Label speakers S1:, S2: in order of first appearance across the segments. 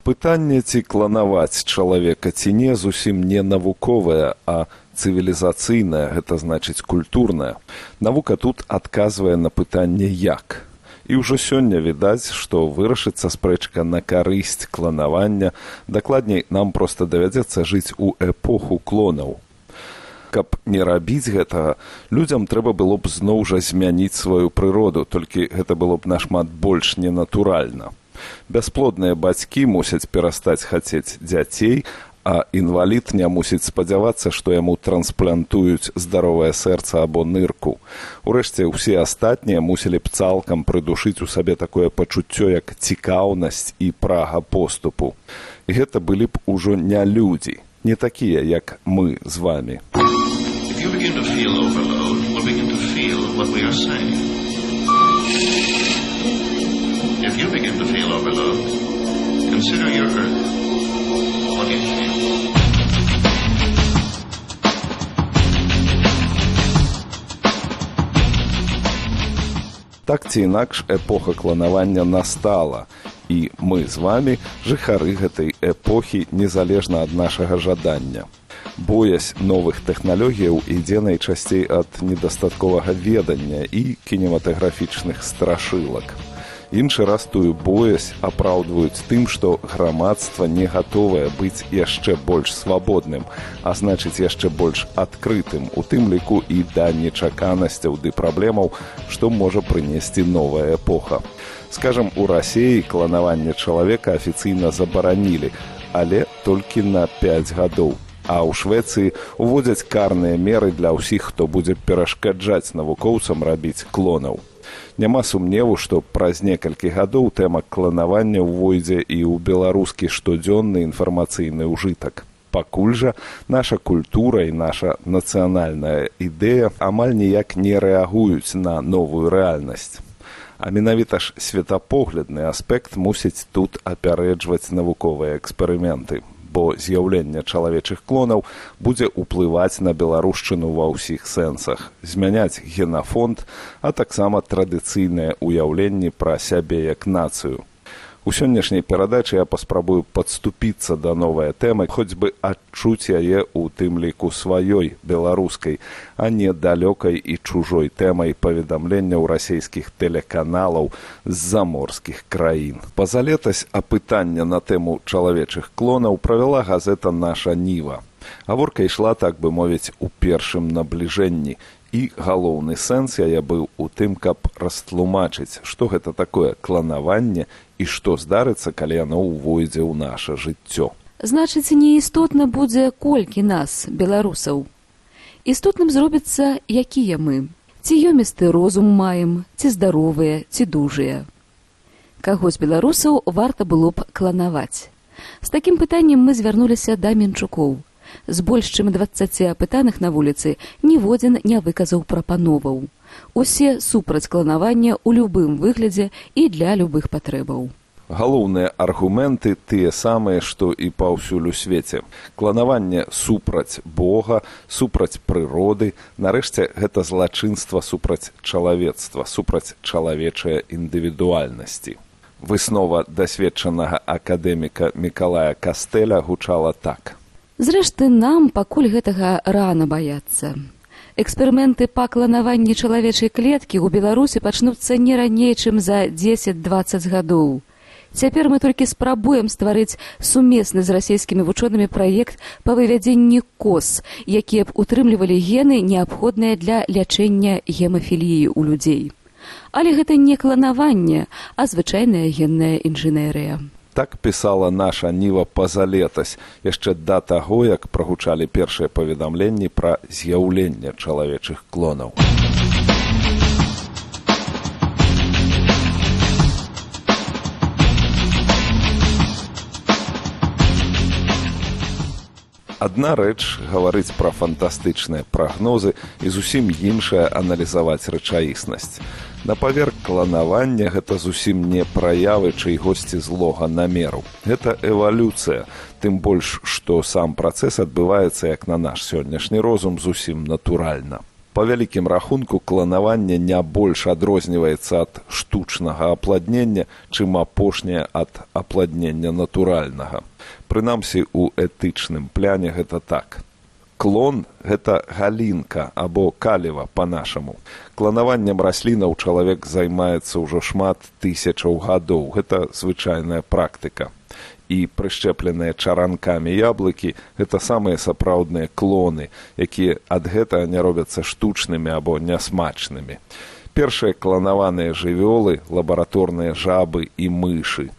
S1: Пытанне, ці кланаваць чалавека ці не, зусім не навуковае, а цывілізацыйнае, гэта значыць культурнае. Навука тут адказвае на пытанне «як?». І ўжо сёння відаць, што вырашыцца спрэчка на карысць кланавання, дакладней, нам проста давядзецца жыць у эпоху клонаў. Каб не рабіць гэтага, людзям трэба было б зноў жа змяніць сваю прыроду, толькі гэта было б нашмат больш ненатуральна. Бясплодныя бацькі мусяць перастаць хацець дзяцей, а інвалід не мусіць спадзявацца, што яму трансплантуюць здаровае сэрца або нырку. Урэшце, усе астатнія мусілі б цалкам прыдушыць у сабе такое пачуццё, як цікаўнасць і прага поступу. І гэта былі б ужо не людзі, не такія, як мы з вамі.
S2: If you begin to feel overload, we'll begin to feel what we are saying. If you begin to feel overload, consider your earth. What do you feel?
S1: Так ці інакш, эпоха кланавання настала, і мы з вамі жыхары гэтай эпохі незалежна ад нашага жадання. Боязь новых тэхналогіяў ідзе найчасцей ад недастатковага ведання і кінематаграфічных страшылак. Іншы раз тую боязь апраўдваюць тым, што грамадства не гатовае быць яшчэ больш свабодным, а значыць яшчэ больш адкрытым, у тым ліку і да нечаканасцяў ды праблемаў, што можа прынесці новая эпоха. Скажам, у Расіі кланаванне чалавека афіцыйна забаранілі, але толькі на 5 гадоў. А ў Швецыі уводзяць карныя меры для ўсіх, хто будзе перашкаджаць навукоўцам рабіць клонаў. Няма сумневу, што праз некалькі гадоў тэма кланавання ўвойдзе і ў беларускі штодзённы інфармацыйны ўжытак. Пакуль жа наша культура і наша нацыянальная ідэя амаль ніяк не рэагуюць на новую рэальнасць. А менавіта ж светапоглядны аспект мусіць тут апярэджваць навуковыя эксперыменты, бо з'яўленне чалавечых клонаў будзе ўплываць на беларушчыну ва ўсіх сэнсах, змяняць генафонд, а таксама традыцыйныя ўяўленні пра сябе як нацыю. У сённяшняй перадачы я паспрабую падступіцца да новай тэмы, хоць бы адчуць яе ў тым ліку сваёй, беларускай, а не далёкай і чужой тэмай паведамленняў расійскіх тэлеканалаў з заморскіх краін. Пазалетась апытання на тэму чалавечых клонаў правяла газета «Наша Ніва». Гаворка ішла, так бы мовіць, у першым набліжэнні, і галоўны сэнс яе быў у тым, каб растлумачыць, што гэта такое кланаванне і што здарыцца, калі яно ўвойдзе ў наша жыццё.
S3: Значыць, неістотна будзе колькі нас, беларусаў. Істотным зробіцца, якія мы. Ці ёмісты розум маем, ці здаровыя, ці дужыя. Каго з беларусаў варта было б кланаваць? З такім пытаннем мы звярнуліся да Менчукоў. З больш чым 20 апытаных на вуліцы ніводзін не выказаў прапановаў. Усе супраць кланавання ў любым выглядзе і для любых патрэбаў.
S1: Галоўныя аргументы тыя самыя, што і паўсюль у свеце. Кланаванне супраць Бога, супраць прыроды, нарэшце гэта злачынства супраць чалавецтва, супраць чалавечае індывідуальнасці. Выснова дасведчанага акадэміка Мікалая Кастэля гучала так.
S3: Зрэшты, нам пакуль гэтага рана баяцца. Эксперыменты па кланаванні чалавечай клеткі ў Беларусі пачнуцца не раней, чым за 10-20 гадоў. Цяпер мы толькі спрабуем стварыць сумесны з расійскімі вучонымі праект па вывядзенні коз, якія б утрымлівалі гены, неабходныя для лячэння гемафіліі ў людзей. Але гэта не кланаванне, а звычайная генная інжынерыя.
S1: Так пісала «Наша Ніва» пазалетась, яшчэ да таго, як прагучалі першыя паведамленні пра з'яўленне чалавечых клонаў. Адна рэч гаварыць пра фантастычныя прагнозы і зусім іншая аналізаваць рэчаіснасць. На паверх кланавання гэта зусім не праявы чыйгосьці злога намеру. Гэта эвалюцыя, тым больш, што сам працэс адбываецца, як на наш сённяшні розум, зусім натуральна. Па вялікім рахунку, кланаванне не больш адрозніваецца ад штучнага апладнення, чым апошняе ад апладнення натуральнага. Прынамсі, у этычным пляне гэта так. Клон – гэта галінка або каліва па-нашаму. Кланаваннем раслінаў чалавек займаецца ўжо шмат тысячаў гадоў. Гэта звычайная практыка. І прышчэпленыя чаранкамі яблыкі – гэта самыя сапраўдныя клоны, якія ад гэтага не робяцца штучнымі або нясмачнымі. Першыя кланаваныя жывёлы – лабараторныя жабы і мышы.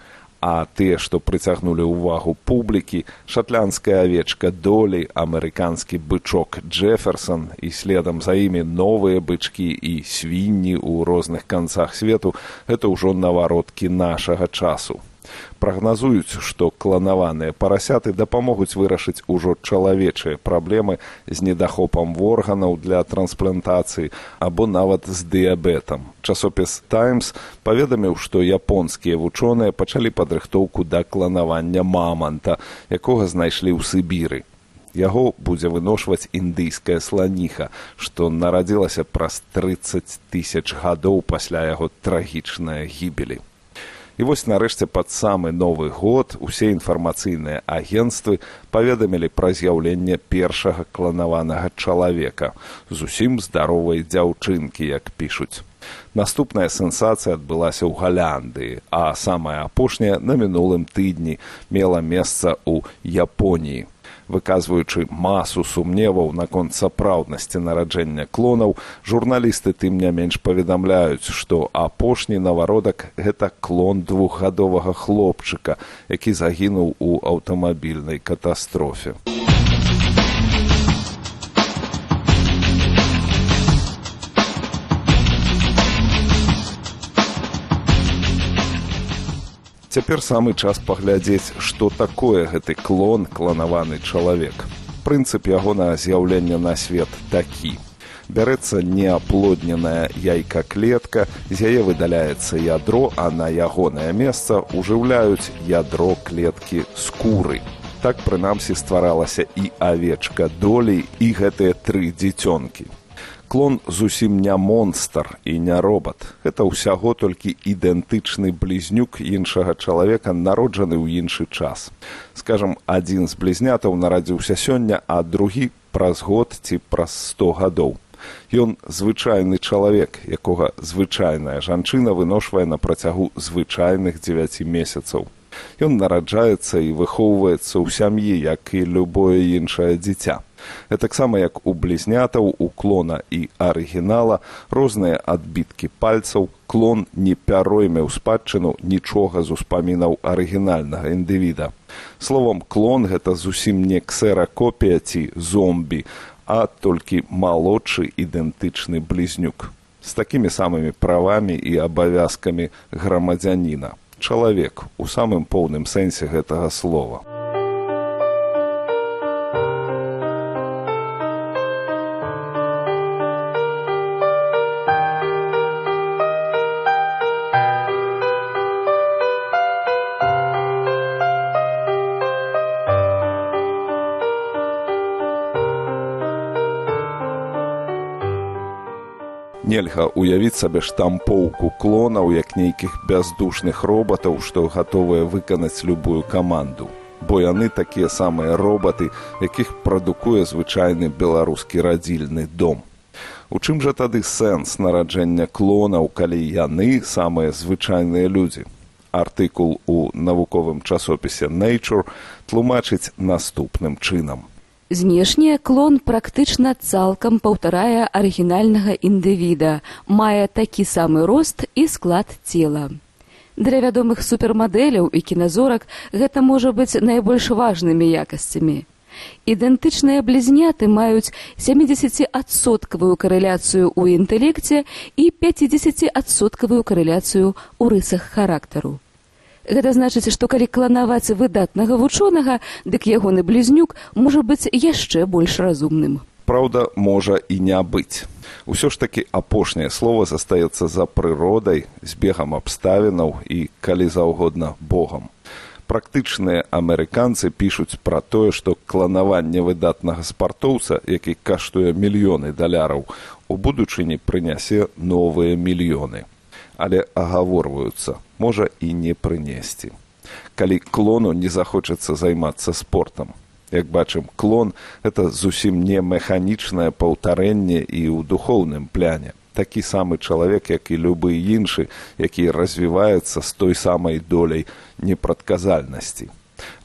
S1: А тыя, што прыцягнулі ўвагу публікі – шатландская авечка Долі, амерыканскі бычок Джэферсон і следам за імі новыя бычкі і свінні ў розных канцах свету – гэта ўжо навароткі нашага часу. Прагназуюць, што кланаваныя парасяты дапамогуць вырашыць ужо чалавечыя праблемы з недахопам органаў для трансплантацыі або нават з дыябетам. Часопіс «Таймс» паведаміў, што японскія вучоныя пачалі падрыхтоўку да кланавання маманта, якога знайшлі ў Сібіры. Яго будзе выношваць індыйская сланіха, што нарадзілася праз 30 000 гадоў пасля яго трагічнай гібелі. І вось нарэшце пад самы Новы год усе інфармацыйныя агенцтвы паведамілі пра з'яўленне першага кланаванага чалавека, зусім здаровай дзяўчынкі, як пішуць. Наступная сенсацыя адбылася ў Галандыі, а самая апошняя на мінулым тыдні мела месца ў Японіі. Выказваючы масу сумневаў наконт сапраўднасці нараджэння клонаў, журналісты тым не менш паведамляюць, што апошні навародак – гэта клон 2-гадовага хлопчыка, які загінуў у аўтамабільнай катастрофе. Цяпер самы час паглядзець, што такое гэты клон, кланаваны чалавек. Прынцып ягонага з'яўлення на свет такі. Бярэцца неаплодненая яйка-клетка, з яе выдаляецца ядро, а на ягонае месца ўжыўляюць ядро клеткі скуры. Так, прынамсі, стваралася і авечка Долі, і гэтыя 3 дзіцёнкі. Клон зусім не монстр і не робат. Гэта ўсяго толькі ідэнтычны блізнюк іншага чалавека, народжаны ў іншы час. Скажам, адзін з блізнятаў нарадзіўся сёння, а другі праз год ці праз 100 гадоў. Ён звычайны чалавек, якога звычайная жанчына выношвае на працягу звычайных 9 месяцаў. Ён нараджаецца і выхоўваецца ў сям'і, як і любое іншае дзіця. Гэтаксама як у блізнятаў, у клона і арыгінала розныя адбіткі пальцаў, клон не пяройме ў спадчыну нічога з успамінаў арыгінальнага індывіда. Словам, клон – гэта зусім не ксеракопія ці зомбі, а толькі малодшы ідэнтычны блізнюк. З такімі самымі правамі і абавязкамі грамадзяніна. Чалавек у самым поўным сэнсе гэтага слова. Нельга ўявіць сабе штампоўку клонаў, як нейкіх бяздушных робатаў, што гатовыя выканаць любую каманду. Бо яны такія самыя робаты, якіх прадукуе звычайны беларускі радзільны дом. У чым жа тады сэнс нараджэння клонаў, калі яны самыя звычайныя людзі? Артыкул у навуковым часопісе Nature тлумачыць наступным чынам.
S3: Знешне клон практычна цалкам паўтарае арыгінальнага індывіда, мае такі самы рост і склад цела. Для вядомых супермадэляў і кіназорак гэта можа быць найбольш важнымі якасцямі. Ідэнтычныя блізняты маюць 70% карэляцыю ў інтэлекце і 50% карэляцыю ў рысах характару. Гэта значыць, што калі кланаваць выдатнага вучонага, дык ягоны блізнюк можа быць яшчэ больш разумным.
S1: Праўда, можа і не быць. Усё ж такі апошняе слова застаецца за прыродай, збегам абставінаў і, калі заўгодна, Богам. Практычныя амерыканцы пішуць пра тое, што кланаванне выдатнага спартоўца, які каштуе мільёны даляраў, у будучыні прынясе новыя мільёны. Але агаворваюцца, можа і не прынесці. Калі клону не захочацца займацца спортам. Як бачым, клон – гэта зусім не механічнае паўтарэнне і ў духоўным пляне. Такі самы чалавек, як і любы іншы, які развіваецца з той самай доляй непрадказальнасці.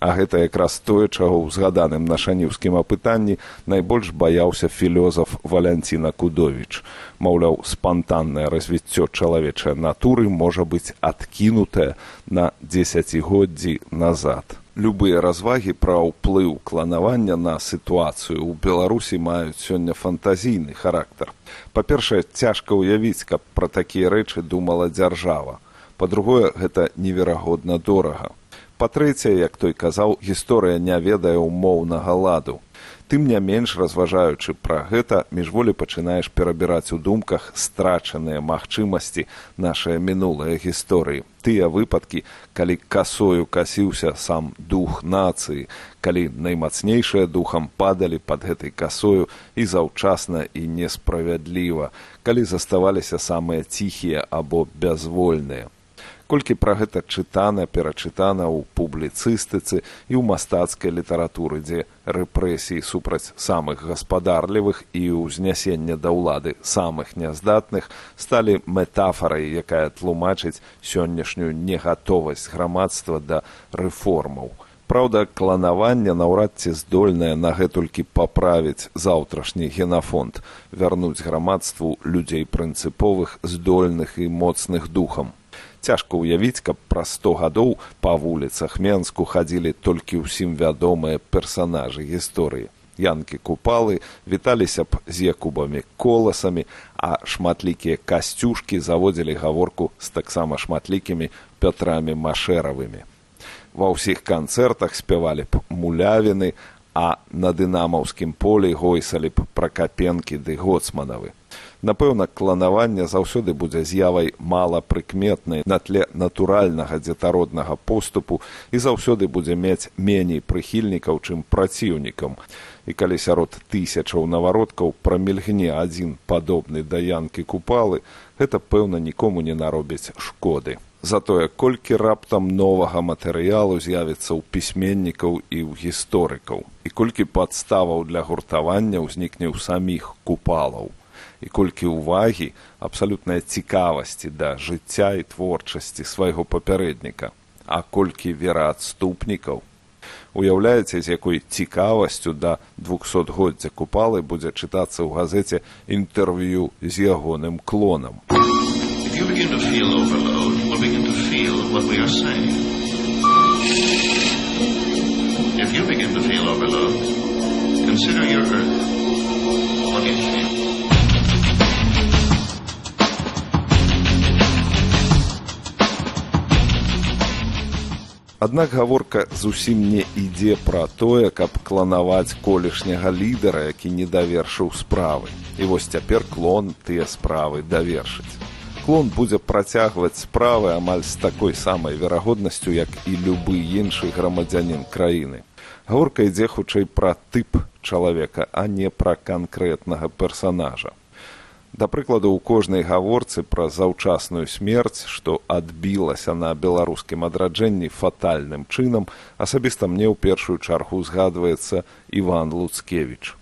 S1: А гэта якраз тое, чаго ў згаданым на шаніўскім апытанні найбольш баяўся філёзаф Валянціна Кудовіч. Маўляў, спантаннае развіццё чалавечай натуры можа быць адкінутае на дзесяцігоддзі назад. Любыя развагі пра ўплыў кланавання на сітуацыю ў Беларусі маюць сёння фантазійны характар. Па-першае, цяжка ўявіць, каб пра такія рэчы думала дзяржава. Па-другое, гэта неверагодна дорага. Па-трэцяе, як той казаў, гісторыя не ведае ўмоўнага ладу. Тым не менш, разважаючы пра гэта, міжволі пачынаеш перабіраць у думках страчаныя магчымасці нашай мінулай гісторыі. Тыя выпадкі, калі касою касіўся сам дух нацыі, калі наймацнейшыя духам падалі пад гэтай касою і заўчасна і несправядліва, калі заставаліся самыя ціхія або бязвольныя. Колькі пра гэта чытана, перачытана ў публіцыстыцы і ў мастацкай літаратуры, дзе рэпрэсіі супраць самых гаспадарлівых і ўзнясення да ўлады самых няздатных сталі метафарай, якая тлумачыць сённяшнюю негатовасць грамадства да рэформаў. Праўда, кланаванне наўрад ці здольнае нагэтулькі паправіць заўтрашні генафонд, вярнуць грамадству людзей прынцыповых, здольных і моцных духам. Цяжка ўявіць, каб праз 100 гадоў па вуліцах Менску хадзілі толькі ўсім вядомыя персанажы гісторыі. Янкі Купалы віталіся б з Якубамі Коласамі, а шматлікія касцюшкі заводзілі гаворку з таксама шматлікімі Пятрамі Машэравымі. Ва ўсіх канцэртах спявалі б мулявіны, а на дынамаўскім полі гойсалі б Пракапенкі ды Гоцманавы. Напэўна, кланаванне заўсёды будзе з'явай малапрыкметнай на тле натуральнага дзетароднага поступу і заўсёды будзе мець меней прыхільнікаў, чым праціўнікам. І калі сярод тысячаў навародкаў прамільгне адзін падобны да Янкі Купалы, гэта, пэўна, нікому не наробіць шкоды. Затое, колькі раптам новага матэрыялу з'явіцца ў пісьменнікаў і ў гісторыкаў, і колькі падставаў для гуртавання ўзнікне ў саміх Купалаў. І колькі ўвагі, абсалютнай цікавасці да жыцця і творчасці свайго папярэдніка, а колькі вераадступнікаў. Уяўляеце, з якой цікавасцю да 200-годдзя Купалы будзе чытацца ў газеце інтэрв'ю з ягоным клонам.
S2: If you begin to feel overload, we'll begin to feel what we are saying. If you begin to feel overload, consider your Earth. What do you feel?
S1: Аднак гаворка зусім не ідзе пра тое, каб кланаваць колішняга лідара, які не давершыў справы. І вось цяпер клон тыя справы давершыць. Клон будзе працягваць справы амаль з такой самай верагоднасцю, як і любы іншы грамадзянін краіны. Гаворка ідзе хутчэй пра тып чалавека, а не пра канкрэтнага персанажа. Да прыкладу, у кожнай гаворцы пра заўчасную смерць, што адбілася на беларускім адраджэнні фатальным чынам, асабіста мне ў першую чаргу згадваецца Іван Луцкевіч.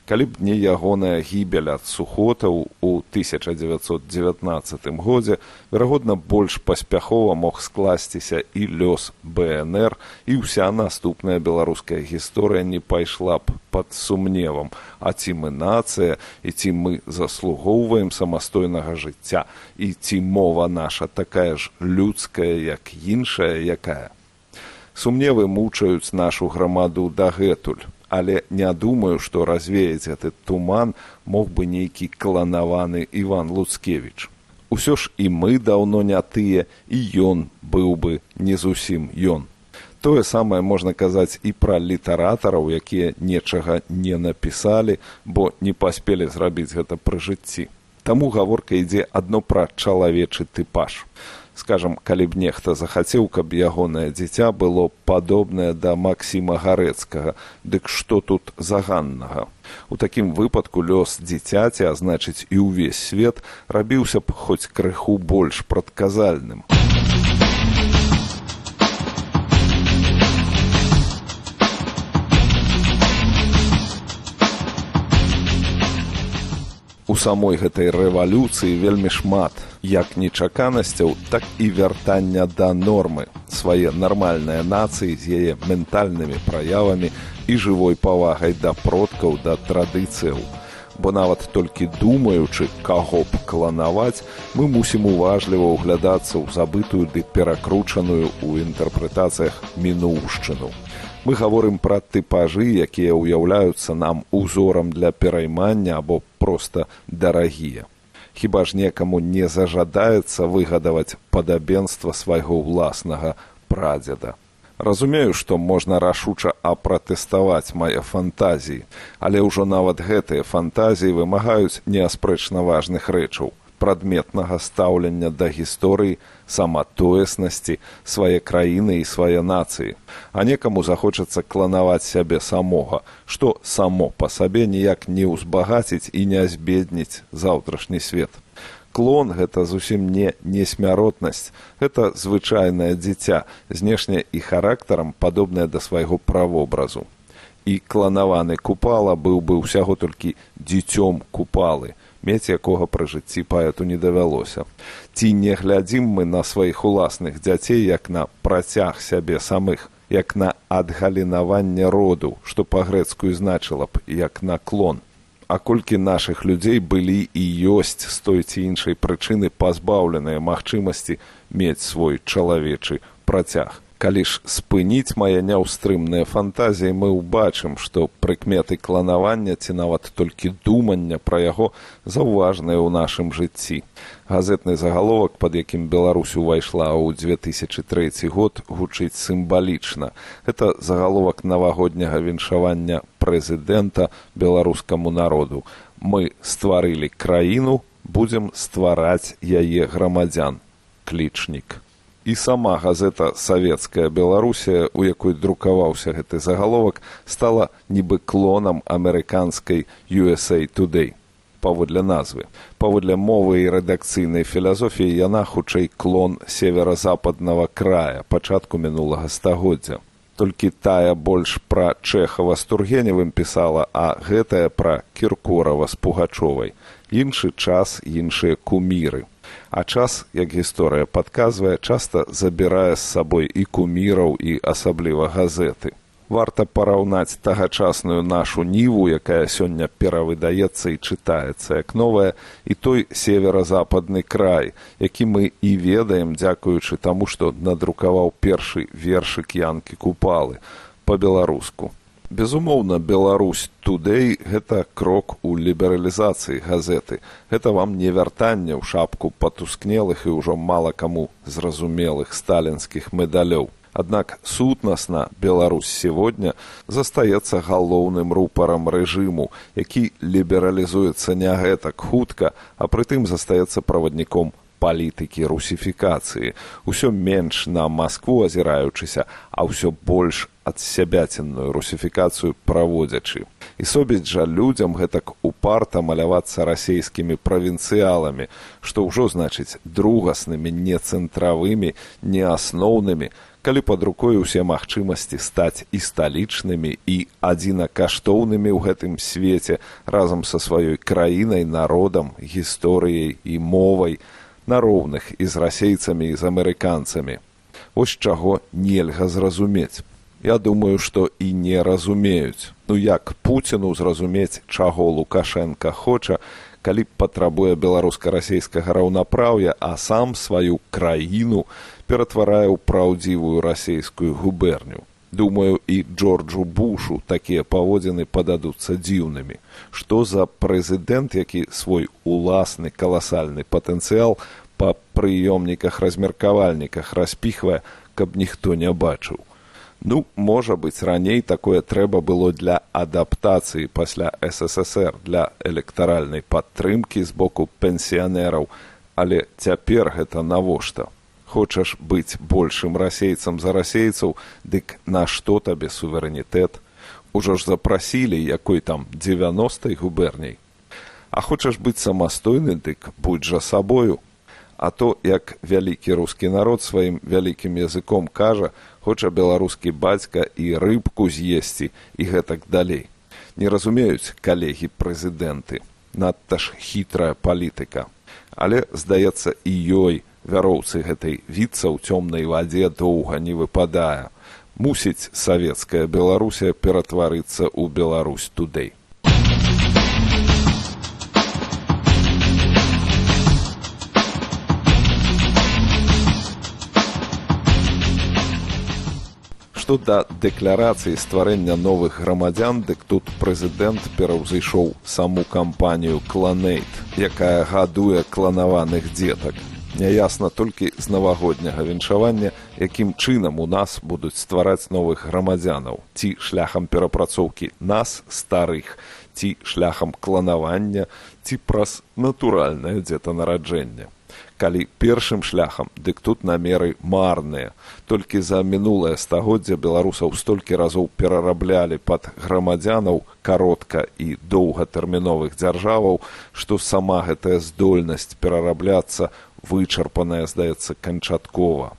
S1: Калі б не ягоная гібель ад сухотаў у 1919 годзе, верагодна, больш паспяхова мог скласціся і лёс БНР, і ўся наступная беларуская гісторыя не пайшла б пад сумневам, а ці мы нацыя, і ці мы заслугоўваем самастойнага жыцця, і ці мова наша такая ж людская, як іншая якая. Сумневы мучаюць нашу грамаду дагэтуль. Але не думаю, што развеяць гэты туман мог бы нейкі кланаваны Іван Луцкевіч. Усё ж і мы даўно не тыя, і ён быў бы не зусім ён. Тое самае можна казаць і пра літаратараў, якія нечага не напісалі, бо не паспелі зрабіць гэта пры жыцці. Таму гаворка ідзе адно пра чалавечы тыпаж. Скажам, калі б нехта захацеў, каб ягонае дзіця было падобнае да Максіма Гарэцкага, дык што тут заганнага? У такім выпадку лёс дзіцяці, а значыць і ўвесь свет, рабіўся б хоць крыху больш прадказальным. У самой гэтай рэвалюцыі вельмі шмат як нечаканасцяў, так і вяртання да нормы, свае нармальныя нацыі з яе ментальнымі праявамі і жывой павагай да продкаў, да традыцыяў. Бо нават толькі думаючы, каго б кланаваць, мы мусім уважліва ўглядацца ў забытую ды перакручаную ў інтэрпрэтацыях мінуўшчыну. Мы гаворым пра тыпажы, якія ўяўляюцца нам узорам для пераймання або проста дарагія. Хіба ж некаму не зажадаецца выгадаваць падабенства свайго ўласнага прадзеда. Разумею, што можна рашуча апратэставаць мае фантазіі, але ўжо нават гэтыя фантазіі вымагаюць неаспрэчна важных рэчаў, прадметнага стаўлення да гісторыі, саматоеснасці, свае краіны і свае нацыі. А некаму захочацца кланаваць сябе самога, што само па сабе ніяк не ўзбагаціць і не збедніць заўтрашні свет. Клон – гэта зусім не несмяротнасць, гэта звычайнае дзіця, знешне і характарам падобнае да свайго правобразу. І кланаваны Купала быў бы ўсяго толькі дзіцём Купалы, мець якога пры жыцці паэту не давялося. Ці не глядзім мы на сваіх уласных дзяцей як на працяг сябе самых, як на адгалінаванне роду, што па-грэцку значыла б як на клон. А колькі нашых людзей былі і ёсць з той ці іншай прычыны пазбаўленыя магчымасці мець свой чалавечы працяг. Калі ж спыніць мае няўстрымныя фантазіі, мы ўбачым, што прыкметы кланавання ці нават толькі думання пра яго заўважныя ў нашым жыцці. Газетны загаловак, пад якім Беларусь увайшла ў 2003 год, гучыць сімвалічна. Гэта загаловак навагодняга віншавання прэзідэнта беларускаму народу. Мы стварылі краіну, будзем ствараць яе грамадзян. Клічнік. І сама газета «Савецкая Беларусія», у якой друкаваўся гэты загаловак, стала нібы клонам амерыканскай USA Today. Паводле назвы. Паводле мовы і рэдакцыйнай філасофіі яна хутчэй клон северо-западнага края пачатку мінулага стагоддзя. Толькі тая больш пра Чэхава з Тургеневым пісала, а гэтая пра Кіркорава з Пугачовай. Іншы час, іншыя куміры. А час, як гісторыя падказвае, часта забірае з сабой і куміраў, і асабліва газеты. Варта параўнаць тагачасную нашу ніву, якая сёння перавыдаецца і чытаецца як новая, і той северо-западны край, які мы і ведаем, дзякуючы таму, што надрукаваў першы вершык Янкі Купалы па-беларуску. Безумоўна, Беларусь Today – гэта крок у лібералізацыі газеты. Гэта вам не вяртанне ў шапку патускнелых і ўжо мала каму зразумелых сталінскіх медалёў. Аднак сутнасна Беларусь сегодня застаецца галоўным рупарам рэжыму, які лібералізуецца не гэтак хутка, а прытым застаецца правадніком палітыкі русіфікацыі. Усё менш на Маскву азіраючыся, а ўсё больш адсябяценную русіфікацыю праводзячы. І собіць жа людзям гэтак упарта малявацца расейскімі правінцыяламі, што ўжо значыць другаснымі, не цэнтравымі, не асноўнымі, калі пад рукой усе магчымасці стаць і сталічнымі, і адзінакаштоўнымі ў гэтым свеце разам са сваёй краінай, народам, гісторыяй і мовай, на роўных і з расейцамі, і з амерыканцамі. Вось чаго нельга зразумець. Я думаю, што і не разумеюць. Ну як Пуціну зразумець, чаго Лукашенка хоча, калі патрабуе беларуска-расейскага раўнапраўя, а сам сваю краіну ператварае ў праўдзівую расейскую губерню. Думаю, і Джорджу Бушу такія паводзіны пададуцца дзіўнымі. Што за прэзідэнт, які свой уласны каласальны патэнцыял па прыёмніках-размеркавальніках распіхвае, каб ніхто не бачыў. Ну, можа быць, раней такое трэба было для адаптацыі пасля СССР, для электаральнай падтрымкі з боку пенсіянераў, але цяпер гэта навошта? Хочаш быць большым расейцам за расейцаў, дык на што табе суверэнітэт? Ужо ж запрасілі якой там 90-й губерняй. А хочаш быць самастойны, дык будь жа сабою. А то, як вялікі рускі народ сваім вялікім языком кажа, хоча беларускі бацька і рыбку з'есці і гэтак далей. Не разумеюць калегі-прэзідэнты. Надта ж хітрая палітыка. Але, здаецца, і ёй вяроўцы гэтай віцца ў цёмнай вадзе доўга не выпадае. Мусіць савецкая Беларусія ператварыцца ў Беларусь Тудэй. Што да дэкларацыі стварэння новых грамадзян, дык тут прэзідэнт пераўзышоў саму кампанію «Кланэйт», якая гадуе кланаваных дзетак. Няясна толькі з навагодняга віншавання, якім чынам у нас будуць ствараць новых грамадзянаў. Ці шляхам перапрацоўкі нас, старых, ці шляхам кланавання, ці праз натуральнае дзетанараджэнне. Калі першым шляхам, дык тут намеры марныя. Толькі за мінулае стагоддзя беларусаў столькі разоў перараблялі пад грамадзянаў каротка і доўгатэрміновых дзяржаваў, што сама гэтая здольнасць перарабляцца вычарпаная, здаецца, канчаткова.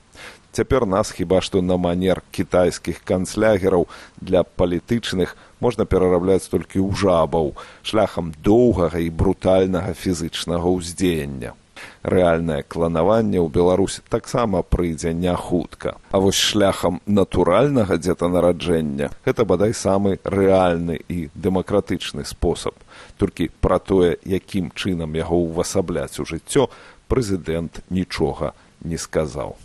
S1: Цяпер нас хіба што на манер кітайскіх канцлягераў для палітычных можна перарабляць толькі ў жабаў, шляхам доўгага і брутальнага фізычнага ўздзеяння. Рэальнае кланаванне ў Беларусі таксама прыйдзе не хутка. А вось шляхам натуральнага дзетанараджэння гэта бадай самы рэальны і дэмакратычны спосаб. Толькі пра тое, якім чынам яго ўвасабляць у жыццё, прэзідэнт нічога не сказаў.